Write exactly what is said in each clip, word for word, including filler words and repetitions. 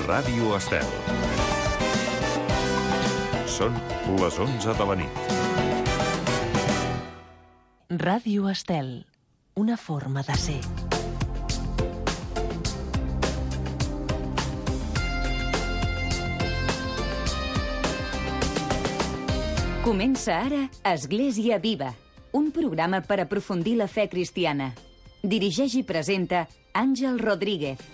Ràdio Estel. Són les onze de la nit. Ràdio Estel, una forma de ser. Comença ara Església Viva, un programa per aprofundir la fe cristiana. Dirigeix i presenta Àngel Rodríguez.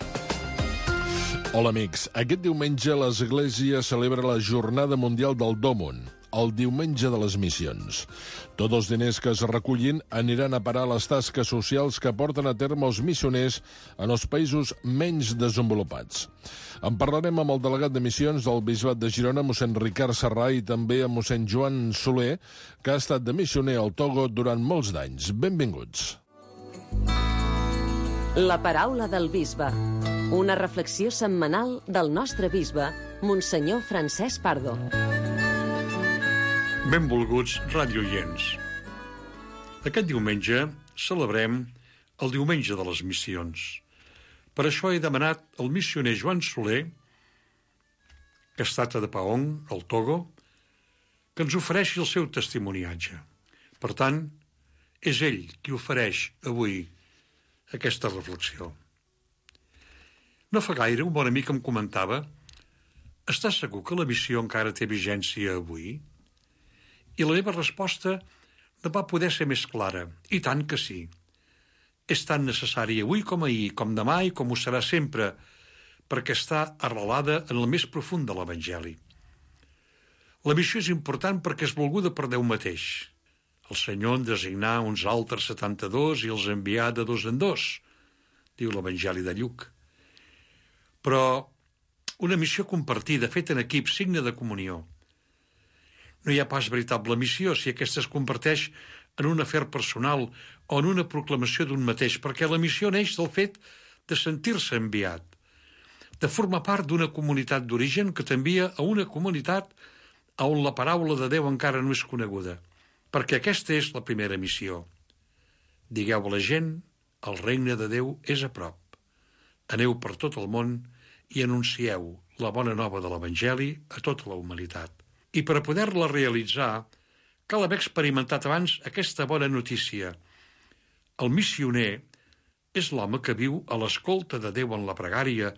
Hola amics, aquest diumenge l'Església celebra la Jornada Mundial del Dòmon, el Diumenge de les Missions. Tots els diners que es recullin aniran a parar a les tasques socials que porten a terme els missioners en els països menys desenvolupats. En parlarem amb el delegat de missions del Bisbat de Girona, mossèn Ricard Serrà, i també amb mossèn Joan Soler, que ha estat de missioner al Togo durant molts d'anys. Benvinguts. La paraula del bisbe. Una reflexió setmanal del nostre bisbe, Monsenyor Francesc Pardo. Benvolguts radioients. Aquest diumenge celebrem el Diumenge de les Missions. Per això he demanat al missioner Joan Soler, que ha estat a Dapaong, al Togo, que ens ofereixi el seu testimoniatge. Per tant, és ell qui ofereix avui aquesta reflexió. No fa gaire un bon amic em comentava: «Estàs segur que la missió encara té vigència avui?» I la meva resposta no va poder ser més clara. I tant que sí. És tan necessari avui com ahir, com demà i com ho serà sempre, perquè està arrelada en el més profund de l'Evangeli. La missió és important perquè és volguda per Déu mateix. El Senyor en designà uns altres setanta-dos i els envià de dos en dos, diu l'Evangeli de Lluc. Però una missió compartida, feta en equip, signe de comunió. No hi ha pas veritable missió si aquesta es converteix en un afer personal o en una proclamació d'un mateix, perquè la missió neix del fet de sentir-se enviat, de formar part d'una comunitat d'origen que t'envia a una comunitat on la paraula de Déu encara no és coneguda, perquè aquesta és la primera missió. Digueu a la gent, el regne de Déu és a prop. Aneu per tot el món i anuncieu la bona nova de l'Evangeli a tota la humanitat. I per a poder-la realitzar, cal haver experimentat abans aquesta bona notícia. El missioner és l'home que viu a l'escolta de Déu en la pregària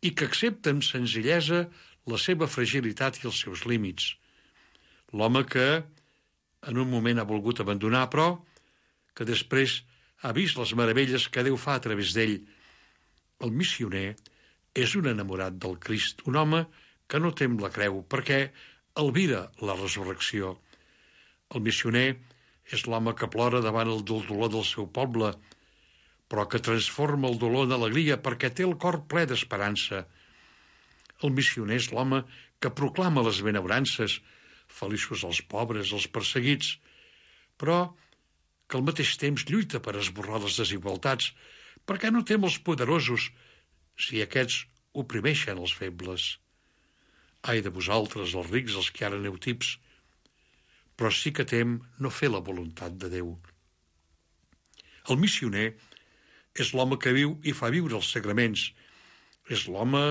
i que accepta amb senzillesa la seva fragilitat i els seus límits. L'home que en un moment ha volgut abandonar, però que després ha vist les meravelles que Déu fa a través d'ell. El missioner és un enamorat del Crist, un home que no tem la creu, perquè albira la resurrecció. El missioner és l'home que plora davant el dolor del seu poble, però que transforma el dolor en alegria perquè té el cor ple d'esperança. El missioner és l'home que proclama les benaventurances, feliços els pobres, els perseguits, però que al mateix temps lluita per esborrar les desigualtats, perquè no tem els poderosos si aquests oprimeixen els febles. Ai de vosaltres, els rics, els que ara aneu tips, però sí que tem no fer la voluntat de Déu. El missioner és l'home que viu i fa viure els sagraments. És l'home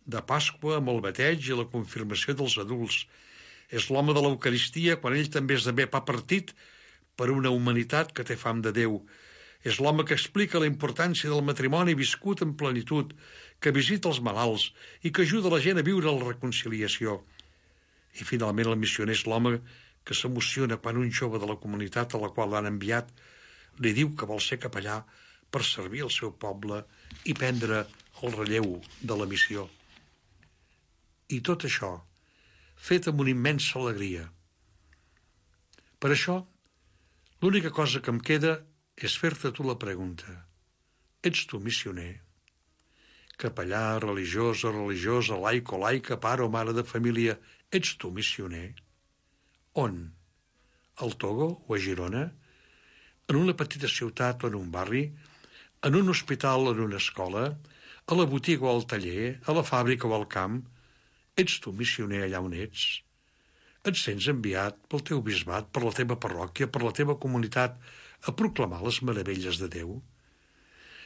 de Pasqua amb el bateig i la confirmació dels adults. És l'home de l'Eucaristia quan ell també esdevé pa partit per una humanitat que té fam de Déu. És l'home que explica la importància del matrimoni viscut en plenitud, que visita els malalts i que ajuda la gent a viure la reconciliació. I finalment el missioner és l'home que s'emociona quan un jove de la comunitat a la qual l'han enviat li diu que vol ser capellà per servir el seu poble i prendre el relleu de la missió. I tot això fet amb una immensa alegria. Per això, l'única cosa que em queda és fer-te tu la pregunta. Ets tu missioner? Capellà, religiosa, religiosa, laic o laica, pare o mare de família, ets tu missioner? On? Al Togo o a Girona? En una petita ciutat o en un barri? En un hospital o en una escola? A la botiga o al taller? A la fàbrica o al camp? Ets tu missioner allà on ets? Et sents enviat pel teu bisbat, per la teva parròquia, per la teva comunitat, a proclamar les meravelles de Déu?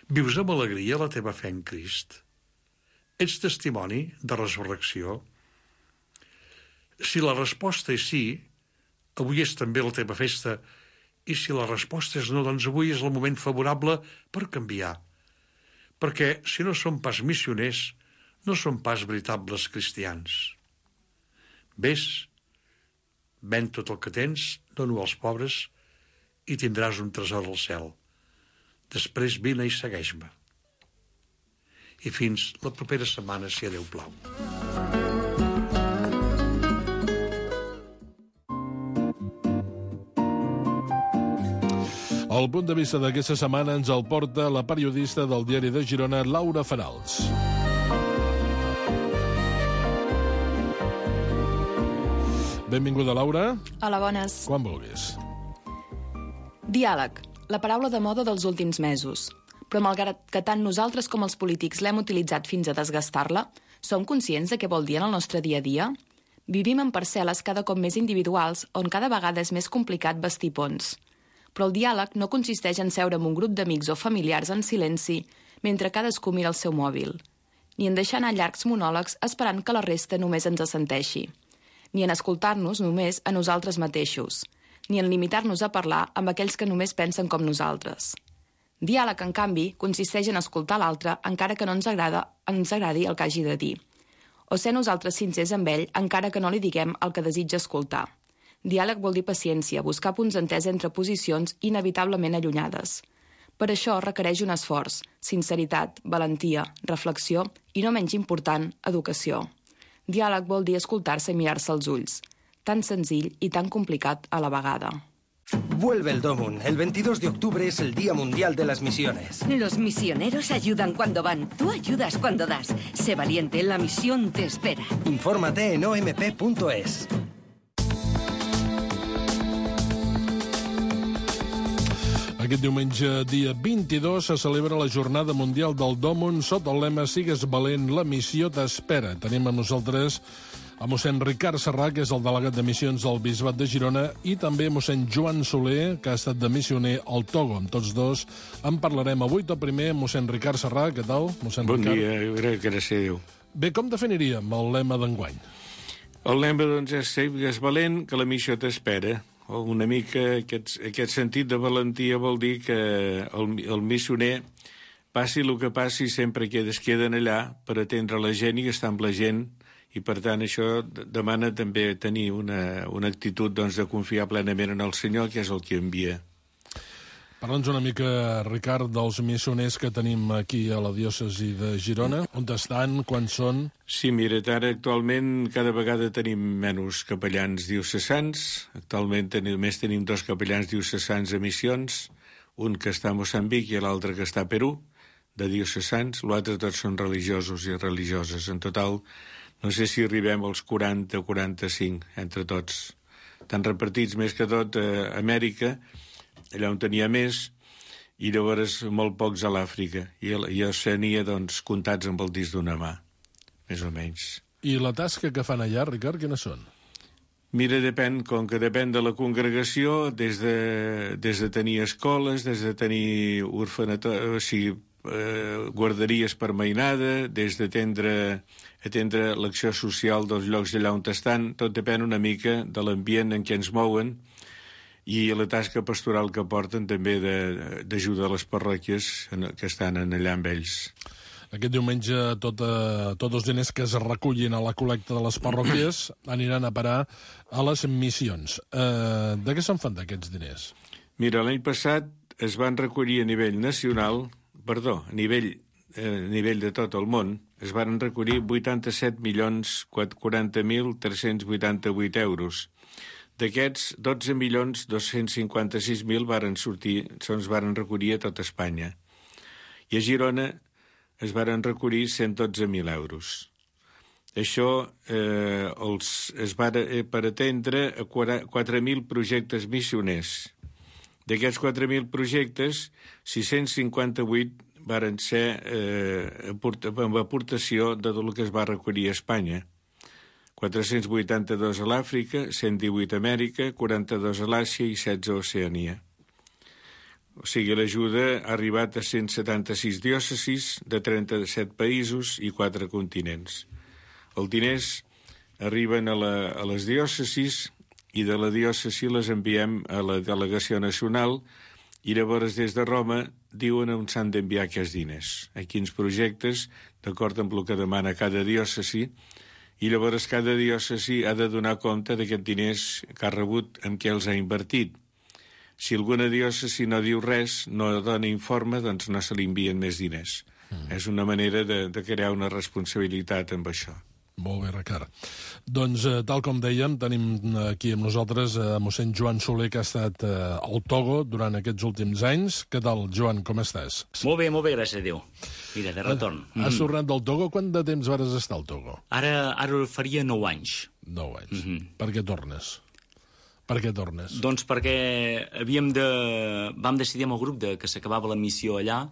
Vius amb alegria la teva fe en Crist? ets testimoni de resurrecció? Si la resposta és sí, avui és també la teva festa, i si la resposta és no, doncs avui és el moment favorable per canviar. Perquè si no som pas missioners, no som pas veritables cristians. Ves, ven tot el que tens, dona-ho als pobres i tindràs un tresor al cel. Després vine i segueix-me. I fins la propera setmana, si a Déu plau. El punt de vista d'aquesta setmana ens el porta la periodista del Diari de Girona, Laura Farals. Benvinguda, Laura. Hola, bones. Quan vulguis. Diàleg, la paraula de moda dels últims mesos. Però malgrat que tant nosaltres com els polítics l'hem utilitzat fins a desgastar-la, som conscients de què vol dir en el nostre dia a dia? Vivim en parcel·les cada cop més individuals, on cada vegada és més complicat bastir ponts. Però el diàleg no consisteix en seure amb un grup d'amics o familiars en silenci mentre cadascú mira el seu mòbil, ni en deixar anar llargs monòlegs esperant que la resta només ens assenteixi, ni en escoltar-nos només a nosaltres mateixos, ni en limitar-nos a parlar amb aquells que només pensen com nosaltres. Diàleg, en canvi, consisteix en escoltar l'altre encara que no ens agrada, ens agradi el que hagi de dir, o ser nosaltres sincers amb ell encara que no li diguem el que desitja escoltar. Diàleg vol dir paciència, buscar punts d'entesa entre posicions inevitablement allunyades. Per això requereix un esforç, sinceritat, valentia, reflexió i, no menys important, educació. Diàleg vol dir escoltar-se i mirar-se als ulls. Tan senzill i tan complicat a la vegada. Vuelve el Domun. El veintidós de octubre es el Día Mundial de las Misiones. Los misioneros ayudan cuando van. Tú ayudas cuando das. Sé valiente, la misión te espera. Infórmate en o m p punto es. Aquest diumenge, dia vint-i-dos, se celebra la Jornada Mundial del Domun sota el lema Sigues valent, la missió t'espera. Tenim amb nosaltres a mossèn Ricard Serrà, que és el delegat de missions del Bisbat de Girona, i també a mossèn Joan Soler, que ha estat de missioner al Togo. Amb tots dos en parlarem avui. Tot primer, mossèn Ricard Serrà, què tal? Mossèn bon Ricard? dia, gràcies a Déu. Bé, com definiríem el lema d'enguany? El lema, doncs, és sigues valent, que la missió t'espera. Una mica aquest, aquest sentit de valentia vol dir que el, el missioner, passi el que passi, sempre que es queden allà per atendre la gent i estar amb la gent, i per tant això demana també tenir una, una actitud doncs, de confiar plenament en el Senyor, que és el que envia. Parla'ns una mica, Ricard, dels missioners que tenim aquí a la diòcesi de Girona. On estan? Quan són? Sí, mira, ara actualment cada vegada tenim menys capellans diocesans. Actualment tenim, només tenim dos capellans diocesans a missions, un que està a Moçambic i l'altre que està a Perú, de diocesans. L'altre tots són religiosos i religioses. En total, no sé si arribem als quaranta o quaranta-cinc entre tots. Estan repartits més que tot a Amèrica, allà on tenia més, i llavors molt pocs a l'Àfrica. I a Oceania, doncs, comptats amb el disc d'una mà, més o menys. I la tasca que fan allà, Ricard, quines són? Mira, depèn, com que depèn de la congregació, des de, des de tenir escoles, des de tenir orfanatori, o sigui, eh, guarderies per mainada, des d'atendre atendre l'acció social dels llocs allà on estan, tot depèn una mica de l'ambient en què ens mouen, i la tasca pastoral que porten també d'ajudar a les parròquies que estan allà amb ells. Aquest diumenge tot, eh, tots els diners que es recullin a la col·lecta de les parròquies aniran a parar a les missions. Eh, de què se'n fan d'aquests diners? Mira, l'any passat es van recollir a nivell nacional, perdó, a nivell, eh, a nivell de tot el món, es van recollir vuitanta-set milions quaranta mil tres-cents vuitanta-vuit euros. D'aquests, dotze milions dos-cents cinquanta-sis mil varen sortir, se'ns varen recollir a tot Espanya. I a Girona es varen recollir cent dotze mil euros. Això eh, els, es va eh, per atendre a quatre mil projectes missioners. D'aquests quatre mil projectes, sis-cents cinquanta-vuit varen ser eh, amb aportació de tot el que es va recollir a Espanya. quatre-cents vuitanta-dos a l'Àfrica, cent divuit a Amèrica, quaranta-dos a l'Àsia i setze a Oceania. O sigui, l'ajuda ha arribat a cent setanta-sis diòcesis de trenta-set països i quatre continents. Els diners arriben a, la, a les diòcesis i de la diòcesi les enviem a la delegació nacional i llavors des de Roma diuen on s'han d'enviar aquests diners, a quins projectes, d'acord amb el que demana cada diòcesi, i llavors cada diòcesi ha de donar compte d'aquests diners que ha rebut en què els ha invertit. Si alguna diòcesi no diu res, no dona informe, doncs no se li envien més diners. Mm. És una manera de, de crear una responsabilitat amb això. Molt bé, Ricard. Doncs, eh, tal com dèiem, tenim aquí amb nosaltres eh, mossèn Joan Soler, que ha estat eh, al Togo durant aquests últims anys. Què tal, Joan, com estàs? Molt bé, molt bé, gràcies a Déu. Mira, de retorn. Eh, has tornat del Togo? Quant de temps vares estar al Togo? Ara, ara faria nou anys. Nou anys. Mm -hmm. Per què tornes? Per què tornes? Doncs perquè havíem de... vam decidir amb el grup de que s'acabava la missió allà,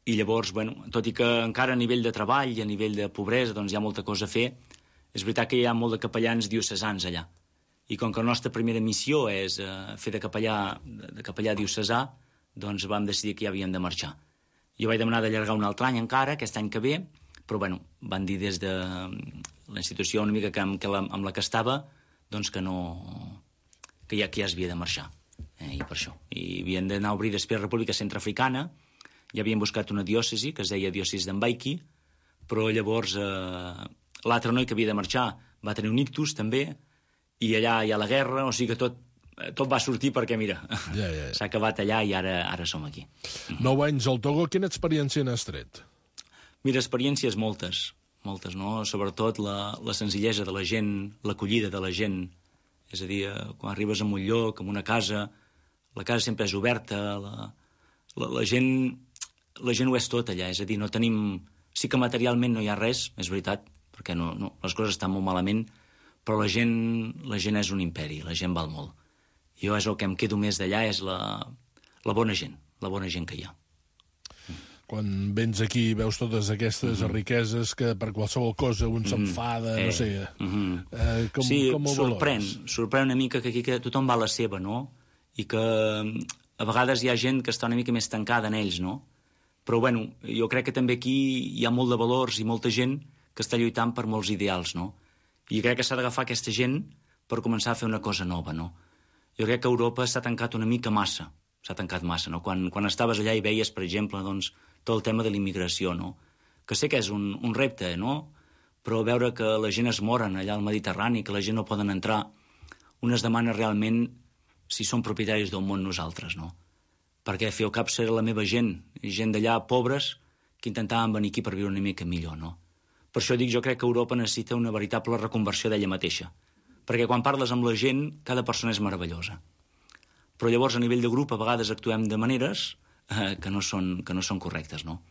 i llavors, bueno, tot i que encara a nivell de treball i a nivell de pobresa doncs hi ha molta cosa a fer, és veritat que hi ha molt de capellans diocesans allà. I com que la nostra primera missió és eh, fer de capellà, de capellà diocesà, doncs vam decidir que ja havíem de marxar. Jo vaig demanar d'allargar un altre any encara, aquest any que ve, però bueno, van dir des de la institució una mica que amb, que la, amb la que estava, doncs que no... que ja, que ja es havia de marxar. Eh, I per això. I havien d'anar a obrir després República Centreafricana. Ja havien buscat una diòcesi, que es deia diòcesi d'Ambaiki, però llavors eh, l'altre noi que havia de marxar va tenir un ictus, també, i allà hi ha la guerra, o sigui que tot, tot va sortir perquè, mira, ja, ja, ja. s'ha acabat allà i ara, ara som aquí. Nou anys al Togo, quina experiència n'has tret? Mira, experiències moltes, moltes, no? Sobretot la, la senzillesa de la gent, l'acollida de la gent. És a dir, quan arribes a un lloc, en una casa, la casa sempre és oberta, la, la, la gent... la gent ho és tot allà, és a dir, no tenim... Sí que materialment no hi ha res, és veritat, perquè no, no, les coses estan molt malament, però la gent, la gent és un imperi, la gent val molt. Jo és el que em quedo més d'allà, és la, la bona gent, la bona gent que hi ha. Quan vens aquí i veus totes aquestes mm -hmm. riqueses que per qualsevol cosa un s'enfada, mm -hmm. eh, no sé... Mm -hmm. eh, com, sí, com ho sorprèn, valores? sorprèn una mica que aquí que tothom va a la seva, no? I que a vegades hi ha gent que està una mica més tancada en ells, no? Però, bueno, jo crec que també aquí hi ha molt de valors i molta gent que està lluitant per molts ideals, no? I crec que s'ha d'agafar aquesta gent per començar a fer una cosa nova, no? Jo crec que Europa s'ha tancat una mica massa, s'ha tancat massa, no? Quan, quan estaves allà i veies, per exemple, doncs, tot el tema de la immigració, no? Que sé que és un, un repte, no? Però veure que la gent es moren allà al Mediterrani, que la gent no poden entrar, unes demanes realment si som propietaris del món nosaltres, no? Perquè fer el cap serà la meva gent, gent d'allà pobres que intentaven venir aquí per viure una mica millor, no? Per això dic, jo crec que Europa necessita una veritable reconversió d'ella mateixa, perquè quan parles amb la gent, cada persona és meravellosa. Però llavors, a nivell de grup, a vegades actuem de maneres eh, que, no són, que no són correctes, no?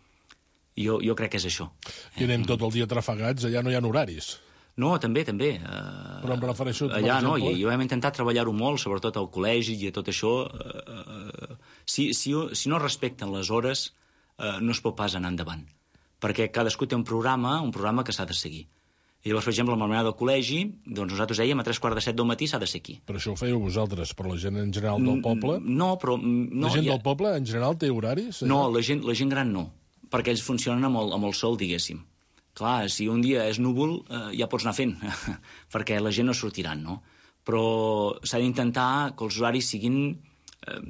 Jo, jo crec que és això. I anem tot el dia trafegats, allà no hi ha horaris. No, també, també. Uh, Però em refereixo... Allà, no, i jo hem intentat treballar-ho molt, sobretot al col·legi i a tot això. Uh, uh, si, si, si no respecten les hores, uh, no es pot pas anar endavant. Perquè cadascú té un programa, un programa que s'ha de seguir. I llavors, per exemple, amb la manera del col·legi, doncs nosaltres dèiem a tres quarts de set del matí s'ha de ser aquí. Però això ho fèieu vosaltres, però la gent en general del poble... No, però... No, la gent ja... del poble en general té horaris? No, la gent, la gent gran no, perquè ells funcionen amb el, amb el sol, diguéssim. Clar, si un dia és núvol, eh, ja pots anar fent, perquè la gent no sortiran, no? Però s'ha d'intentar que els horaris siguin... Eh,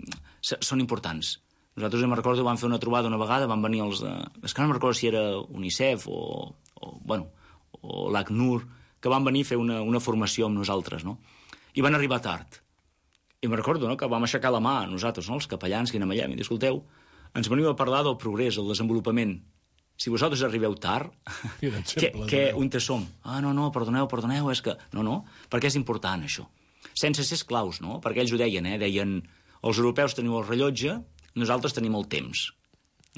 són importants. Nosaltres, em recordo, vam fer una trobada una vegada, van venir els... Eh, és que no em recordo si era UNICEF o, o bueno, o l'ACNUR, que van venir a fer una, una formació amb nosaltres, no? I van arribar tard. I me'n recordo, no?, que vam aixecar la mà, nosaltres, no?, els capellans que anem allà, i dir, escolteu, ens veniu a parlar del progrés, del desenvolupament. Si vosaltres arribeu tard, què, què, on te som? Ah, no, no, perdoneu, perdoneu, és que... No, no, perquè és important, això. Sense ser esclaus, no? Perquè ells ho deien, eh? Deien, els europeus teniu el rellotge, nosaltres tenim el temps.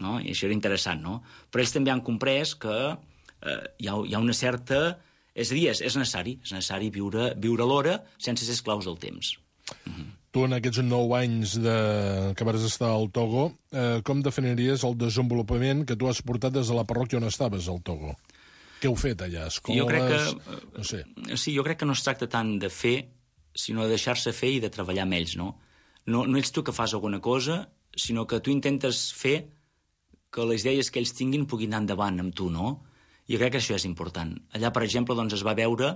No? I això era interessant, no? Però ells també han comprès que eh, hi, ha, hi ha una certa... És a dir, és, és necessari, és necessari viure, viure l'hora sense ser esclaus del temps. Uh-huh. Tu, en aquests nou anys de... que vas estar al Togo, eh, com definiries el desenvolupament que tu has portat des de la parròquia on estaves, al Togo? Què heu fet allà? Escoles? Jo crec que... No sé. Sí, jo crec que no es tracta tant de fer, sinó de deixar-se fer i de treballar amb ells, no? No, no ets tu que fas alguna cosa, sinó que tu intentes fer que les idees que ells tinguin puguin anar endavant amb tu, no? I crec que això és important. Allà, per exemple, doncs, es va veure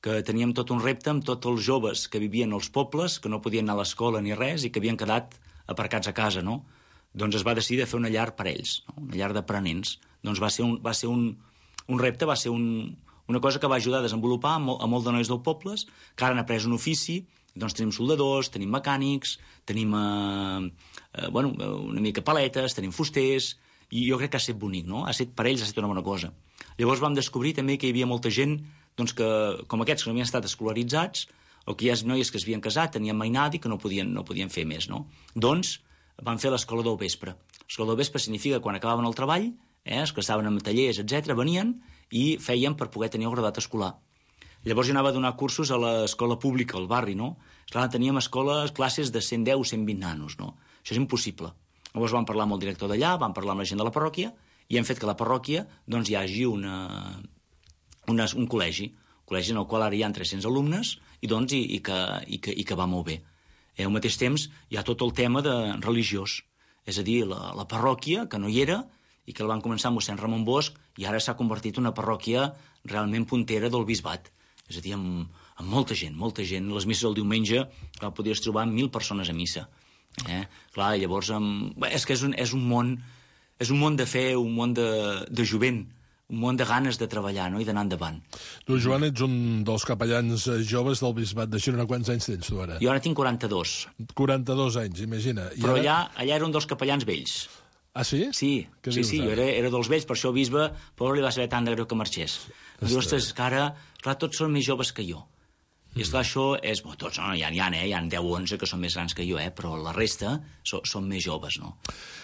que teníem tot un repte amb tots els joves que vivien als pobles, que no podien anar a l'escola ni res i que havien quedat aparcats a casa, no? Doncs es va decidir de fer una llar per ells, no? Una llar d'aprenents. Doncs va ser un, va ser un, un repte, va ser un, una cosa que va ajudar a desenvolupar a molt, a molt de nois dels pobles, que ara han après un ofici. Doncs tenim soldadors, tenim mecànics, tenim eh, eh, bueno, una mica paletes, tenim fusters, i jo crec que ha estat bonic, no? Ha estat, per ells ha estat una bona cosa. Llavors vam descobrir també que hi havia molta gent doncs, que, com aquests que no havien estat escolaritzats, o que hi ha noies que es havien casat, tenien mainada i que no podien, no podien fer més, no? Doncs van fer l'escola del vespre. L'escola del vespre significa que quan acabaven el treball, eh, es casaven en tallers, etcètera, venien i feien per poder tenir el graduat escolar. Llavors jo anava a donar cursos a l'escola pública, al barri, no? Clar, teníem escoles, classes de cent deu o cent vint nanos, no? Això és impossible. Llavors vam parlar amb el director d'allà, vam parlar amb la gent de la parròquia i hem fet que a la parròquia doncs, hi hagi una, una, un col·legi, un col·legi en el qual ara hi ha tres-cents alumnes i, doncs, i, i, que, i, que, i que va molt bé. Eh, al mateix temps hi ha tot el tema de religiós, és a dir, la, la parròquia, que no hi era, i que el van començar amb mossèn Ramon Bosch, i ara s'ha convertit en una parròquia realment puntera del bisbat. És a dir, amb, amb molta gent, molta gent. Les misses del diumenge clar, podries trobar mil persones a missa. Eh? Clar, llavors, amb... Bé, és que és un, és un món és un món de fe, un món de, de jovent, un món de ganes de treballar, no? I d'anar endavant. Tu, Joan, ets un dels capellans joves del bisbat de Girona. Quants anys tens tu ara? Jo ara tinc quaranta-dos. quaranta-dos anys, imagina. I Però ara... allà, allà era un dels capellans vells. Ah, sí? Sí, Què sí, dius, sí, jo era, era dels vells, per això el bisbe, pobre, li va saber tant de greu que marxés. Diu, ostres, que ara, clar, tots són més joves que jo. I esclar, això és... Bo, tots, no, hi ha, hi ha, eh? Hi ha deu o onze que són més grans que jo, eh? Però la resta so, són més joves, no?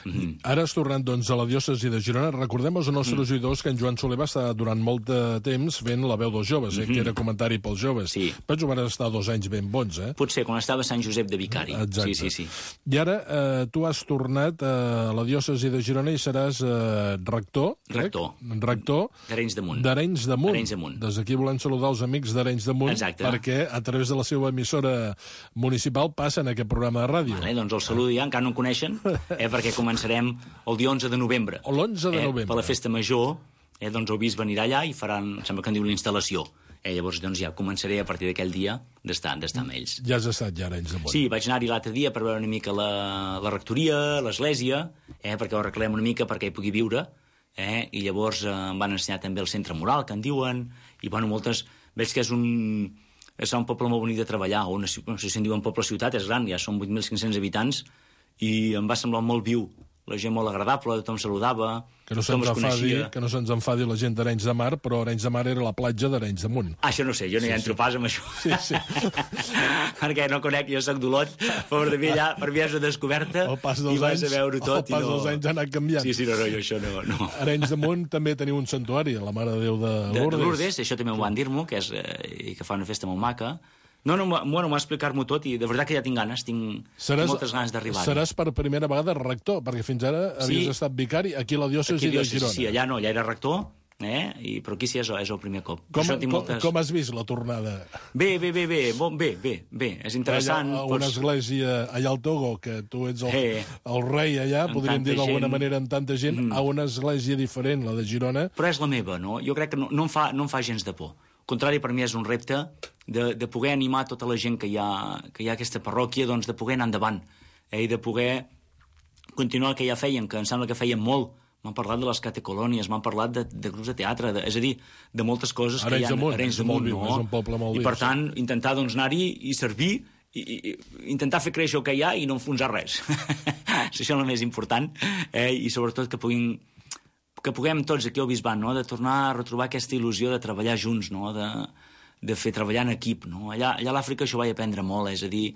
Mm-hmm. Ara has tornat, doncs, a la diòcesi de Girona. Recordem als nostres mm. oïdors que en Joan Soler va estar durant molt de temps fent la veu dels joves, eh? Mm-hmm. Que era comentari pels joves. Sí. Però van estar dos anys ben bons, eh? Potser, quan estava a Sant Josep de Vicari. Exacte. Sí, sí, sí. I ara eh, tu has tornat a la diòcesi de Girona i seràs eh, rector. Rector. Eh? Rector. D'Arenys de Munt. D'Arenys de Munt. Arenys de Munt. Des d'aquí volem saludar els amics d'Arenys de Munt. Exacte. Perquè a través de la seva emissora municipal passen aquest programa de ràdio. Vale, doncs el saludo ja, encara no em coneixen, eh, perquè començarem el dia onze de novembre. L'onze de novembre. Eh, per la festa major, eh, doncs el bisbe anirà allà i faran, sembla que en diu l'instal·lació. Eh, llavors doncs ja començaré a partir d'aquell dia d'estar d'estar amb ells. Ja has estat ja a Arenys de Munt. Sí, vaig anar-hi l'altre dia per veure una mica la, la rectoria, l'església, eh, perquè ho arreglem una mica perquè hi pugui viure, eh, i llavors eh, em van ensenyar també el centre moral, que en diuen, i bueno, moltes... Veig que és un... és un poble molt bonic de treballar, o una, no sé si en diuen poble-ciutat, és gran, ja són vuit mil cinc-cents habitants, i em va semblar molt viu, la gent molt agradable, tothom saludava, que no tothom se'ns es enfadi, coneixia. que no se'ns enfadi la gent d'Arenys de Mar, però Arenys de Mar era la platja d'Arenys de Munt. Ah, això no sé, jo no sí, hi entro sí. pas amb això. Sí, sí. Perquè no conec, jo soc d'Olot, però per mi allà, per mi és una descoberta, el pas dels i vas anys, a veure tot. El pas i no... dels anys ha anat canviant. Sí, sí, no, no, jo això no... no. Arenys de Munt també teniu un santuari, la Mare de Déu de Lourdes. De, de Lourdes, això també m'ho van dir-m'ho, que, és, eh, que fa una festa molt maca. No, no, bueno, m'ho va explicar-m'ho tot i de veritat que ja tinc ganes, tinc, seràs, tinc moltes ganes d'arribar. Seràs per primera vegada rector, perquè fins ara havies sí. estat vicari aquí a la diòcesi de Girona. Sí, allà no, allà era rector, eh? I, però aquí sí és, és el primer cop. Com, com, moltes... com has vist la tornada? Bé, bé, bé, bé, bon, bé, bé, bé, és interessant. Allà, una pots... església allà al Togo, que tu ets el, eh, el rei allà, podríem dir d'alguna gent... manera, amb tanta gent, mm. a una església diferent, la de Girona. Però és la meva, no? Jo crec que no, no, em, fa, no em fa gens de por. Al contrari, per mi és un repte de, de poder animar tota la gent que hi ha, que hi ha a aquesta parròquia, doncs de poder anar endavant, eh, i de poder continuar el que ja feien, que em sembla que feien molt. M'han parlat de les catecolònies, m'han parlat de, de grups de teatre, de, és a dir, de moltes coses que hi ha a Arenys de Munt, no? És un poble molt viu. I per tant, intentar doncs, anar-hi i servir, i, i, intentar fer créixer el que hi ha i no enfonsar res. Això és el més important, eh, i sobretot que puguin que puguem tots aquí al bisbat, no? De tornar a retrobar aquesta il·lusió de treballar junts, no? de, de fer treballar en equip. No? Allà, allà a l'Àfrica això vaig aprendre molt, és a dir,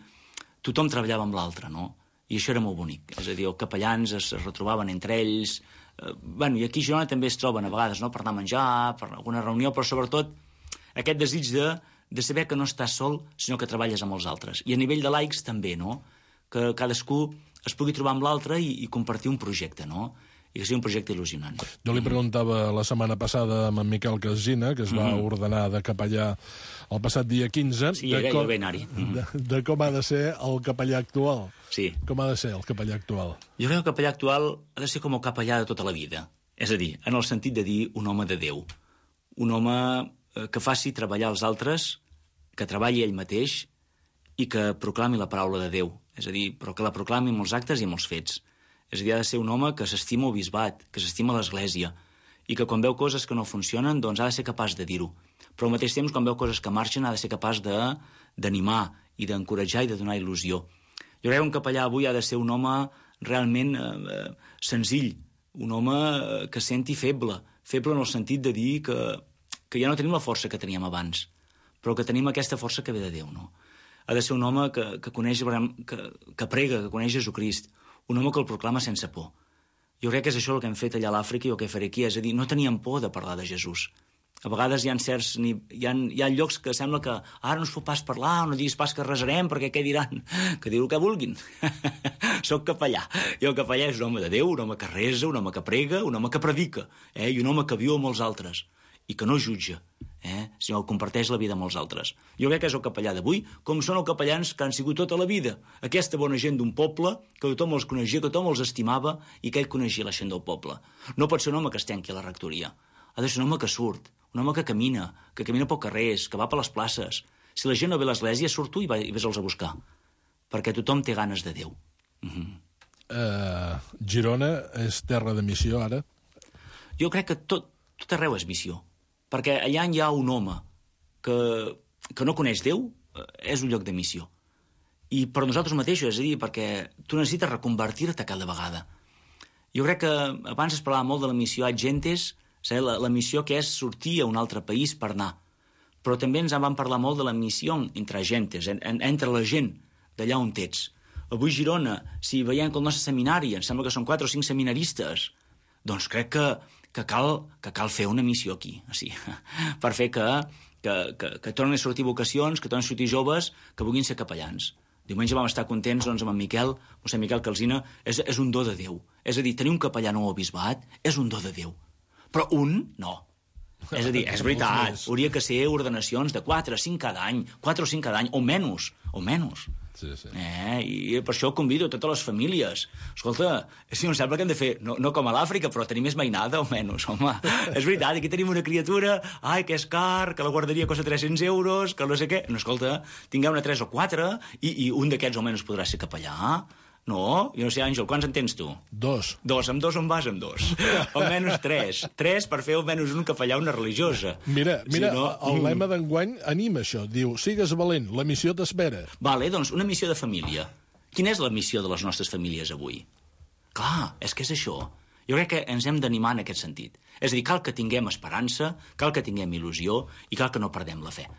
tothom treballava amb l'altre, no? I això era molt bonic. És a dir, els capellans es, es retrobaven entre ells. Eh, bueno, i aquí a Girona també es troben a vegades, no? Per anar a menjar, per alguna reunió, però sobretot aquest desig de, de saber que no estàs sol, sinó que treballes amb els altres. I a nivell de laics també, no? Que cadascú es pugui trobar amb l'altre i, i compartir un projecte, no? i que sigui un projecte il·lusionant. Jo li preguntava la setmana passada amb en Miquel Casina, que es va mm-hmm. ordenar de capellà el passat dia quinze, sí, de, com, mm-hmm. de, de com ha de ser el capellà actual. Sí. Com ha de ser el capellà actual? Jo crec que el capellà actual ha de ser com el capellà de tota la vida. És a dir, en el sentit de dir un home de Déu. Un home que faci treballar els altres, que treballi ell mateix i que proclami la paraula de Déu. És a dir, però que la proclami amb els actes i amb els fets. És a dir, ha de ser un home que s'estima el bisbat, que s'estima l'Església, i que quan veu coses que no funcionen, doncs ha de ser capaç de dir-ho. Però al mateix temps, quan veu coses que marxen, ha de ser capaç d'animar i d'encoratjar i de donar il·lusió. Jo crec que un capellà avui ha de ser un home realment eh, senzill, un home que senti feble, feble en el sentit de dir que, que ja no tenim la força que teníem abans, però que tenim aquesta força que ve de Déu, no? Ha de ser un home que, que coneix, que, que prega, que coneix Jesucrist, un home que el proclama sense por. Jo crec que és això el que hem fet allà a l'Àfrica i el que faré aquí, és a dir, no teníem por de parlar de Jesús. A vegades hi ha certs, hi ha, hi ha llocs que sembla que ara no es pot pas parlar, no diguis pas que resarem, perquè què diran? Que diu el que vulguin. Soc capellà. I el capellà és un home de Déu, un home que resa, un home que prega, un home que predica, eh? I un home que viu amb els altres i que no jutja, eh? sinó que comparteix la vida amb els altres. Jo crec que és el capellà d'avui, com són els capellans que han sigut tota la vida. Aquesta bona gent d'un poble, que tothom els coneixia, que tothom els estimava i que ell coneixia la gent del poble. No pot ser un home que es tanqui a la rectoria. Ha de ser un home que surt, un home que camina, que camina pel carrers, que va per les places. Si la gent no ve a l'església, surt tu i, va, i ves-los a buscar. Perquè tothom té ganes de Déu. Mm-hmm. uh, Girona és terra de missió, ara? Jo crec que tot, tot arreu és missió. Perquè allà hi ha un home que, que no coneix Déu, és un lloc de missió. I per nosaltres mateixos, és a dir, perquè tu necessites reconvertir-te cada vegada. Jo crec que abans es parlava molt de la missió ad gentes, la, la missió que és sortir a un altre país per anar. Però també ens en van parlar molt de la missió entre gentes, en, en, entre la gent d'allà on ets. Avui Girona, si veiem que el nostre seminari, em sembla que són quatre o cinc seminaristes, doncs crec que que cal, que cal fer una missió aquí, o sigui, per fer que, que, que, que tornin a sortir vocacions, que tornin a sortir joves, que vulguin ser capellans. Diumenge vam estar contents doncs, amb en Miquel, mossèn Miquel Calsina, és, és un do de Déu. És a dir, tenir un capellà nou al bisbat és un do de Déu. Però un, no. És a dir, és veritat, hauria que ser ordenacions de quatre, cinc cada any, quatre o cinc cada any, o menys, o menys. Sí, sí. Eh, i per això convido a totes les famílies. Escolta, si no em sembla que hem de fer, no, no com a l'Àfrica, però tenir més mainada, almenys, home. És veritat, aquí tenim una criatura, ai, que és car, que la guarderia costa tres-cents euros, que no sé què. No, escolta, tinguem-ne tres o quatre, i, i un d'aquests almenys podrà ser capellà. No? Jo no sé, Àngel, quants en tens tu? Dos. Dos, amb dos on vas amb dos? Almenys tres. Tres per fer almenys un capellà, una religiosa. Mira, mira, si no... el mm. lema d'enguany anima això. Diu, sigues valent, la missió t'espera. Vale, doncs una missió de família. Quina és la missió de les nostres famílies avui? Clar, és que és això. Jo crec que ens hem d'animar en aquest sentit. És a dir, cal que tinguem esperança, cal que tinguem il·lusió i cal que no perdem la fe.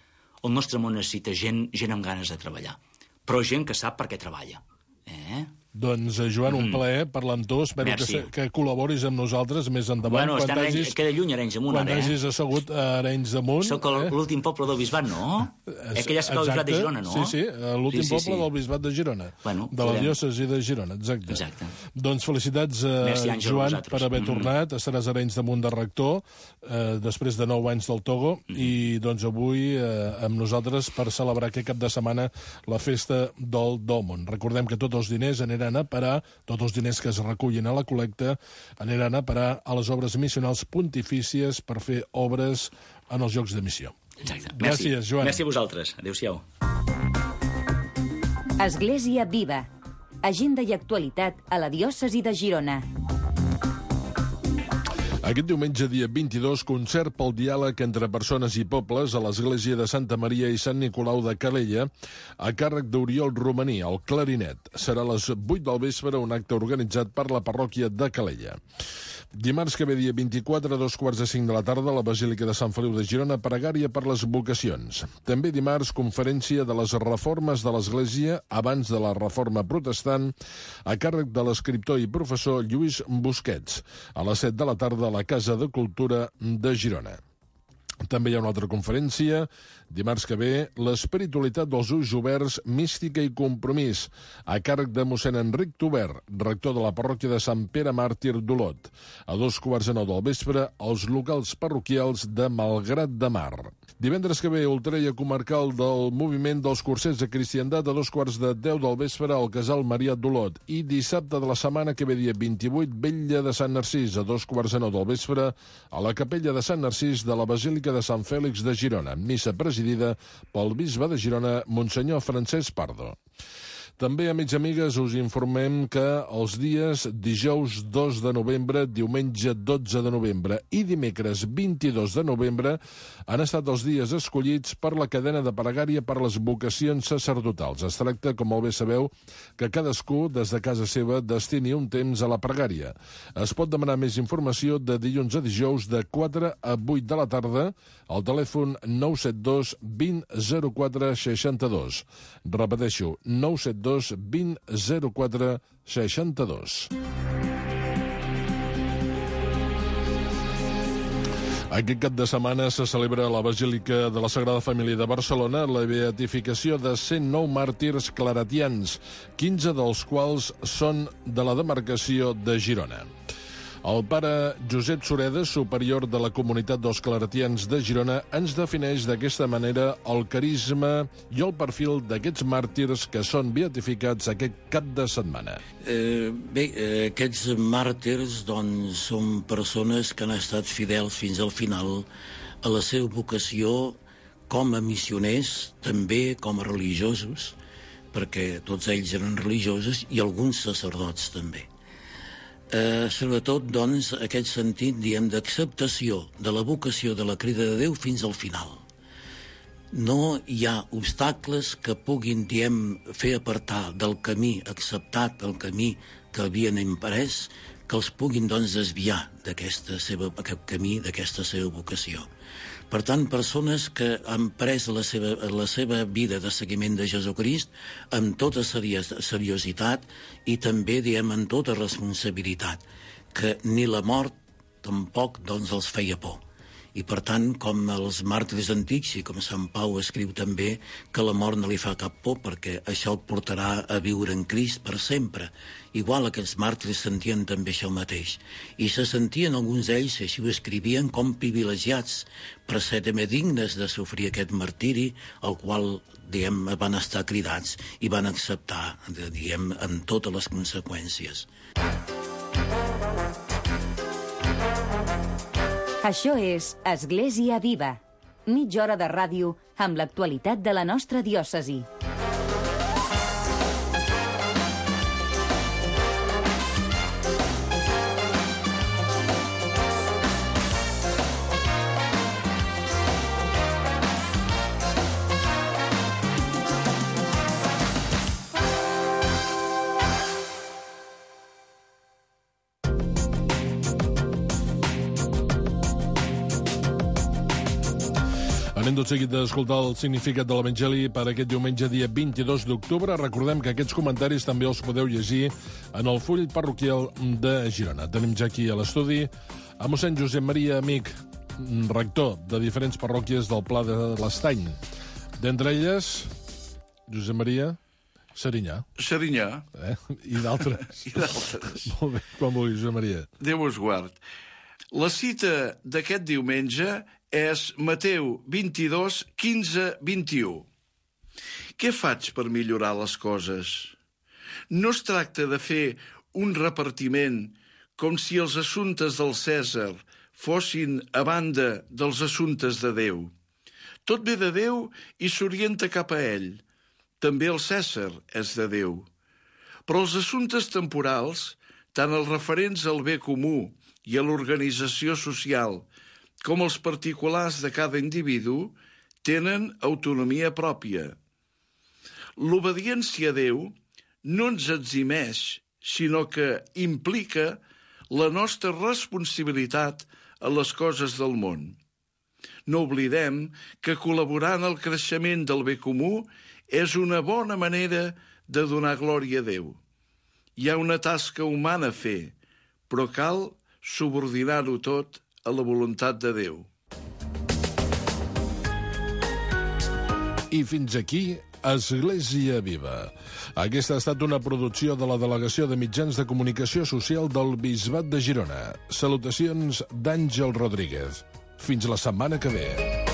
El nostre món necessita gent, gent amb ganes de treballar, però gent que sap per què treballa. Eh? Doncs, Joan, un plaer parlar amb tu. Espero que, que col·laboris amb nosaltres més endavant. Bueno, quan hagis, queda lluny Arenys de Munt, quan ara, eh? hagis assegut a Arenys de Munt. Soc eh? l'últim poble del bisbat, no? Eh que ja soc el bisbat de Girona, no? Sí, sí, l'últim sí, sí, sí. poble del bisbat de Girona. Bueno, de la podem... diòcesi de Girona, exacte. exacte. Doncs felicitats, eh, Merci, Àngel, Joan, per haver mm-hmm. tornat. Estaràs a Arenys de Munt de rector, eh, després de nou anys del Togo, mm-hmm. i doncs avui eh, amb nosaltres per celebrar aquest cap de setmana la festa del Dòmon. Recordem que tots els diners aniran a parar, tots els diners que es recullin a la col·lecta aniran a parar a les obres missionals pontifícies per fer obres en els llocs de missió. Exacte. Gràcies, Merci. Joan. Merci a vosaltres. Adéu-siau. Església Viva. Agenda i actualitat a la diòcesi de Girona. Aquest diumenge, dia vint-i-dos, concert pel diàleg entre persones i pobles a l'església de Santa Maria i Sant Nicolau de Calella, a càrrec d'Oriol Romaní, el clarinet. Serà a les vuit del vespre un acte organitzat per la parròquia de Calella. Dimarts que ve, dia vint-i-quatre, a dos quarts de cinc de la tarda, a la Basílica de Sant Feliu de Girona, pregària per les vocacions. També dimarts, conferència de les reformes de l'Església abans de la reforma protestant, a càrrec de l'escriptor i professor Lluís Busquets, a les set de la tarda a la Casa de Cultura de Girona. També hi ha una altra conferència, dimarts que ve, l'espiritualitat dels ulls oberts, mística i compromís, a càrrec de mossèn Enric Tobert, rector de la parròquia de Sant Pere Màrtir d'Olot. A dos quarts de nou del vespre, als locals parroquials de Malgrat de Mar. Divendres que ve, Ultreia comarcal del moviment dels cursets de cristiandat a dos quarts de deu del vespre al Casal Marià d'Olot. I dissabte de la setmana que ve, dia vint-i-vuit, Vetlla de Sant Narcís, a dos quarts de nou del vespre, a la capella de Sant Narcís de la Basílica de Sant Fèlix de Girona, missa presidida pel bisbe de Girona, Monsenyor Francesc Pardo. També, amics i amigues, us informem que els dies dijous dos de novembre, diumenge dotze de novembre i dimecres vint-i-dos de novembre han estat els dies escollits per la cadena de pregària per les vocacions sacerdotals. Es tracta, com molt bé sabeu, que cadascú, des de casa seva, destini un temps a la pregària. Es pot demanar més informació de dilluns a dijous de quatre a vuit de la tarda al telèfon nou set dos vint zero quatre seixanta-dos. Repeteixo, nou set dos vint zero quatre seixanta-dos. Aquest cap de setmana se celebra a la Basílica de la Sagrada Família de Barcelona la beatificació de cent nou màrtirs claretians, quinze dels quals són de la demarcació de Girona. El pare Josep Sureda, superior de la comunitat dels claretians de Girona, ens defineix d'aquesta manera el carisma i el perfil d'aquests màrtirs que són beatificats aquest cap de setmana. Eh, bé, eh, aquests màrtirs doncs, són persones que han estat fidels fins al final a la seva vocació com a missioners, també com a religiosos, perquè tots ells eren religiosos i alguns sacerdots també. Eh, sobretot, doncs, aquest sentit, diem, d'acceptació de la vocació de la crida de Déu fins al final. No hi ha obstacles que puguin, diem, fer apartar del camí acceptat, el camí que havien imprès, que els puguin, doncs, desviar d'aquesta seva, aquest camí, d'aquesta seva vocació. Per tant, persones que han pres la seva, la seva vida de seguiment de Jesucrist amb tota seriositat i també, diem, amb tota responsabilitat, que ni la mort tampoc, doncs, els feia por. I, per tant, com els màrtirs antics, i com Sant Pau escriu també, que la mort no li fa cap por perquè això el portarà a viure en Crist per sempre. Igual aquests màrtirs sentien també això mateix. I se sentien alguns d'ells, així ho escrivien, com privilegiats, per ser també dignes de sofrir aquest martiri, al qual, diem, van estar cridats i van acceptar, diem, amb totes les conseqüències. Això és Església Viva, mitja hora de ràdio amb l'actualitat de la nostra diòcesi. Anem tot seguit d'escoltar el significat de l'Evangeli per aquest diumenge, dia vint-i-dos d'octubre. Recordem que aquests comentaris també els podeu llegir en el full parroquial de Girona. Tenim ja aquí a l'estudi a mossèn Josep Maria Amic, rector de diferents parròquies del Pla de l'Estany. D'entre elles, Josep Maria Serinyà. Serinyà. Eh? I d'altres. I d'altres. Molt bé, quan vulguis, Josep Maria. Déu us guard. La cita d'aquest diumenge és Mateu vint-i-dos, quinze, vint-i-u. Què faig per millorar les coses? No es tracta de fer un repartiment com si els assumptes del Cèsar fossin a banda dels assumptes de Déu. Tot ve de Déu i s'orienta cap a ell. També el Cèsar és de Déu. Però els assumptes temporals, tant els referents al bé comú i a l'organització social, com els particulars de cada individu, tenen autonomia pròpia. L'obediència a Déu no ens eximeix, sinó que implica la nostra responsabilitat a les coses del món. No oblidem que col·laborar en el creixement del bé comú és una bona manera de donar glòria a Déu. Hi ha una tasca humana a fer, però cal subordinar-ho tot a la voluntat de Déu. I fins aquí Església Viva. Aquesta ha estat una producció de la Delegació de Mitjans de Comunicació Social del Bisbat de Girona. Salutacions d'Àngel Rodríguez. Fins la setmana que ve.